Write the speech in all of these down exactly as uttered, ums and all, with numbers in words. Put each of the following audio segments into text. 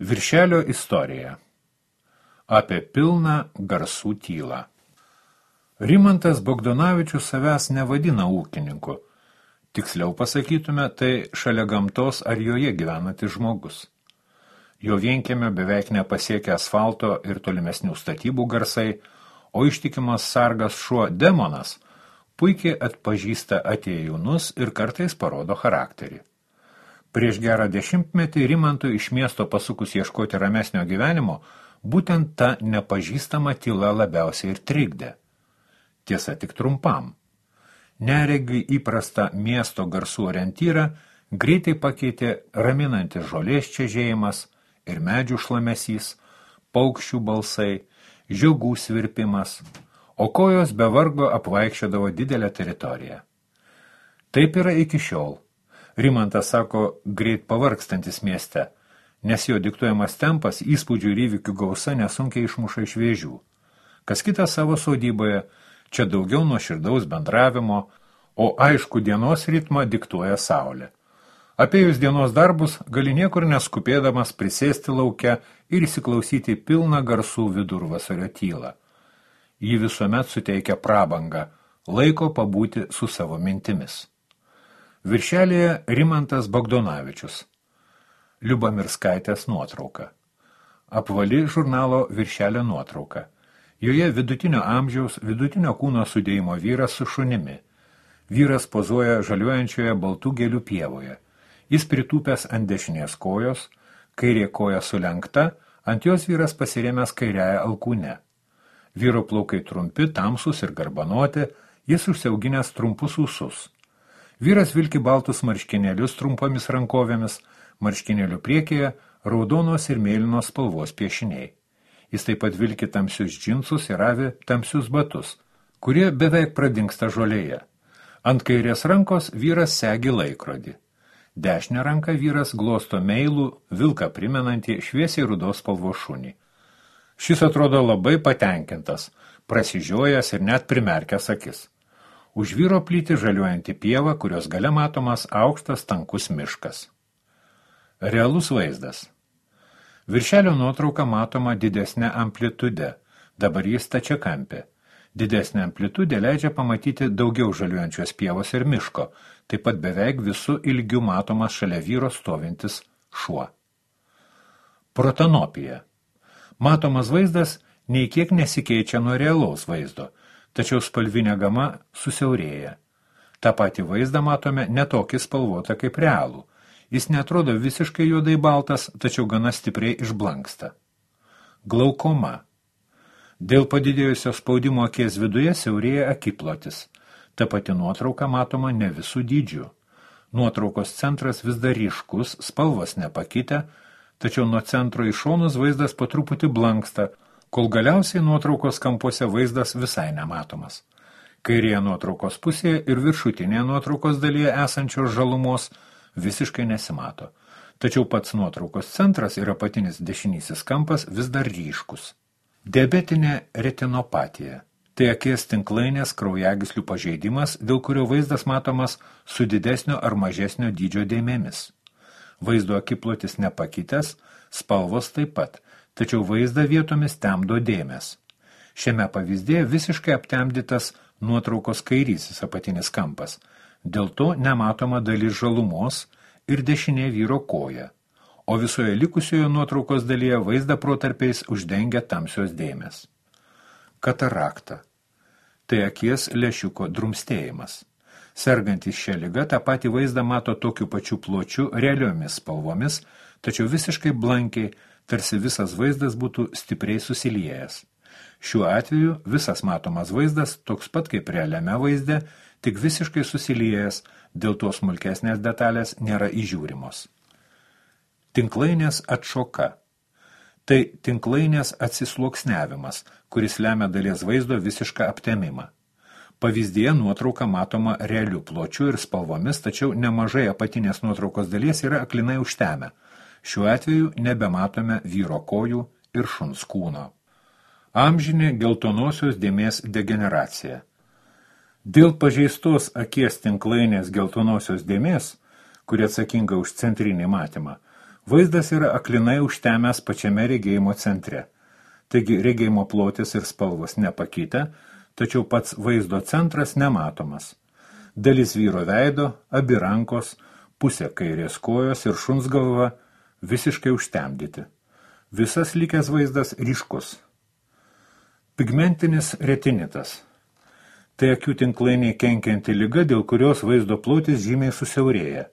Viršelio istorija. Apie pilną garsų tylą. Rimantas Bogdanovičius savęs nevadina ūkininku. Tiksliau pasakytume, tai šalia gamtos ar joje gyvenantis žmogus. Jo vienkiemio beveik nepasiekia asfalto ir tolimesnių statybų garsai, o ištikimas sargas šuo demonas puikiai atpažįsta atėjūnus ir kartais parodo charakterį. Prieš gerą dešimtmetį Rimantui iš miesto pasukus ieškoti ramesnio gyvenimo, būtent ta nepažįstama tyla labiausiai ir trikdė. Tiesa, tik trumpam. Neregiui įprasta miesto garsų orientyrą greitai pakeitė raminantis žolės čežėjimas ir medžių šlamesys, paukščių balsai, žiogų svirpimas, o kojos be vargo apvaikščiodavo didelę teritoriją. Taip yra iki šiol. Rimantas sako greit pavargstantis mieste, nes jo diktuojamas tempas, įspūdžių ir įvykių gausa nesunkiai išmuša iš vėžių. Kas kita savo sodyboje, čia daugiau nuoširdaus bendravimo, o aišku dienos ritmą diktuoja saulė. Apėjus dienos darbus gali niekur neskupėdamas prisėsti lauke ir įsiklausyti pilną garsų vidurvasario tylą. Ji visuomet suteikia prabangą, laiko pabūti su savo mintimis. Viršelėje Rimantas Bogdanovičius. Liubamirskaitės nuotrauka. Apvali žurnalo Viršelio nuotrauka. Joje vidutinio amžiaus, vidutinio kūno sudėjimo vyras su šunimi. Vyras pozuoja žaliuojančioje baltų gėlių pievoje. Jis pritūpęs ant dešinės kojos, kairė koja sulenkta, ant jos vyras pasirėmęs kairiąją alkūnę. Vyro plaukai trumpi, tamsus ir garbanoti, jis užsiauginęs trumpus ūsus. Vyras vilki baltus marškinėlius trumpomis rankovėmis, marškinėlių priekyje raudonos ir mėlynos spalvos piešiniai. Jis taip pat vilki tamsius džinsus ir avi tamsius batus, kurie beveik pradingsta žolėje. Ant kairės rankos vyras segi laikrodį. Dešinę ranką vyras glosto meilų, vilką primenantį šviesiai rudos spalvos šunį. Šis atrodo labai patenkintas, prasižiojęs ir net primerkęs akis. Už vyro plyti žaliuojanti pieva, kurios gale matomas aukštas tankus miškas. Realus vaizdas. Viršelio nuotrauka matoma didesnė amplitude, dabar jis stačiakampė. Didesnė amplitudė leidžia pamatyti daugiau žaliuojančios pievos ir miško, taip pat beveik visų ilgių matomas šalia vyro stovintis šuo. Protanopija. Matomas vaizdas nei kiek nesikeičia nuo realaus vaizdo, tačiau spalvinė gama susiaurėja. Ta pati vaizdą matome netokį spalvotą kaip realų. Jis netrodo visiškai juodai baltas, tačiau gana stipriai išblanksta. Glaukoma. Dėl padidėjusio spaudimo akies viduje siaurėja akiplotis. Ta pati nuotrauka matoma ne visų dydžių. Nuotraukos centras vis dar ryškus, spalvos nepakitę, tačiau nuo centro į šonus vaizdas po truputį blanksta, kol galiausiai nuotraukos kampuose vaizdas visai nematomas. Kairėje nuotraukos pusėje ir viršutinėje nuotraukos dalyje esančios žalumos visiškai nesimato. Tačiau pats nuotraukos centras ir apatinis dešinysis kampas vis dar ryškus. Diabetinė retinopatija. Tai akies tinklainės kraujagyslių pažeidimas, dėl kurio vaizdas matomas su didesnio ar mažesnio dydžio dėmėmis. Vaizdo akiplotis nepakitęs, spalvos taip pat, tačiau vaizdą vietomis temdo dėmės. Šiame pavyzdėje visiškai aptemdytas nuotraukos kairysis apatinis kampas, dėl to nematoma dalis žalumos ir dešinė vyro koja, o visoje likusioje nuotraukos dalyje vaizdą protarpiais uždengia tamsios dėmės. Katarakta. Tai akies lęšiuko drumstėjimas. Sergantis šią ligą tą patį vaizdą mato tokiu pačiu pločiu realiomis spalvomis, tačiau visiškai blankiai, tarsi visas vaizdas būtų stipriai susiliejęs. Šiuo atveju visas matomas vaizdas toks pat kaip realiame vaizde, tik visiškai susiliejęs, dėl to smulkesnės detalės nėra įžiūrimos. Tinklainės atšoka. Tai tinklainės atsisluoksniavimas, kuris lemia dalies vaizdo visišką aptemimą. Pavyzdėje nuotrauka matoma realių pločių ir spalvomis, tačiau nemažai apatinės nuotraukos dalies yra aklinai užtemę. Šiuo atveju nebematome vyro kojų ir šuns kūno. Amžinė geltonosios dėmės degeneracija. Dėl pažeistos akies tinklainės geltonosios dėmės, kuri atsakinga už centrinį matymą, Vaizdas yra aklinai užtemęs pačiame regėjimo centre. Taigi regėjimo plotis ir spalvos nepakitę, tačiau pats vaizdo centras nematomas. Dalis vyro veido, abi rankos, pusė kairės kojos ir šuns galva visiškai užtemdyti. Visas likęs vaizdas ryškus. Pigmentinis retinitas. Tai akių tinklainiai kenkianti liga, dėl kurios vaizdo plotis žymiai susiaurėja.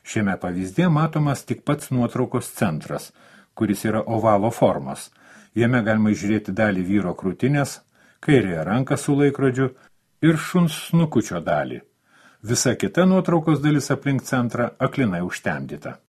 Šiame pavyzdėje matomas tik pats nuotraukos centras, kuris yra ovalo formos. Jame galima žiūrėti dalį vyro krūtinės, kairėje ranką su laikrodžiu ir šuns snukučio dalį. Visa kita nuotraukos dalis aplink centrą aklinai užtemdyta.